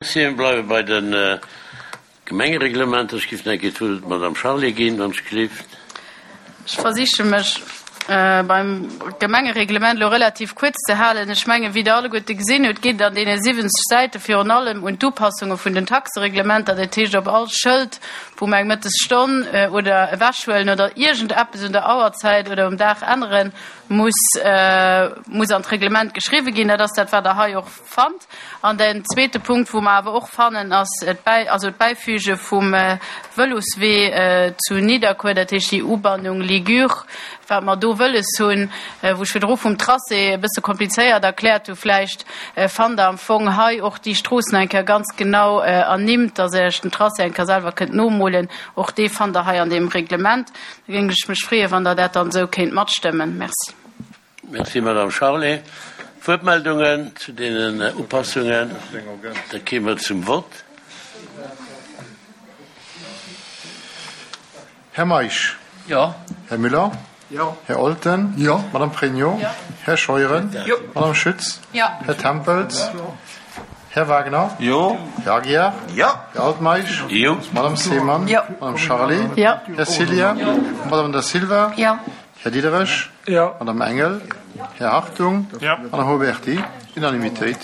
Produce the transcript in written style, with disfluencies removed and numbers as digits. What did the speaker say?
Merci. Mir bleiwe bei de Gemengereglementer. Ech géif nach eng Kéier d'Wuert der Madame Charlé ginn, wann ech gelift. Ech versiche mech beim Gemengereglement elo relativ kuerz ze halen. Ech mengen, wéi Der alleguerte gesinn hutt, geet et an deene 70 Säite virun allem un d'Upassunge vun den Taxereglementer, dat heescht op all Schëld, wou mer eng Mëttesstonn oder ewechhuelen oder iergendeppes un der Auerzäit oder um Dag änneren, muss muss an d'Reglement geschriwwen ginn. Dat ass dat, wat Der hei och fannt. An den zweete Punkt, wou mer awer och fannen, ass d'Bäi, also d'Bäifüge vum Vëloswee zu Nidderkuer, dat heescht déi Ubannung Ligure, wat mer do wëlles hunn, wou ech virdru vum Tracé e bësse komplizéiert erkläert hu vläicht, fannt Der am Fong hei och déi Stroossen eng Kéier ganz genau ernimmt, dass Der Iech den Tracé eng Kéier selwer kënnt nomolen. Och dee fannt Der hei an deem Reglement. Da géing ech mech freeën, wann Der dat dann esou kéint matstëmmen. Merci. Merci, Madame Charlé. Wuertmeldungen zu deenen Upassungen? Da kéime mer zum Vott. Här Meisch? Jo. Här Müller? Jo. Här Olten? Jo. Madame Pregno? Jo. Här Scheuren? Jo. Madame Schütz? Jo. Här Tempels? Jo. Här Wagner? Jo. Här Aguiar? Jo. Här Altmeisch? Jo. Madame Seemann? Jo. Madame Charlé? Jo. Här Cillien? Jo. Madame Da Silva? Jo. Här Diderich? Jo. Madame Engel? Jo. Här Hartung? Jo. Madame Huberty? Unanimitéit.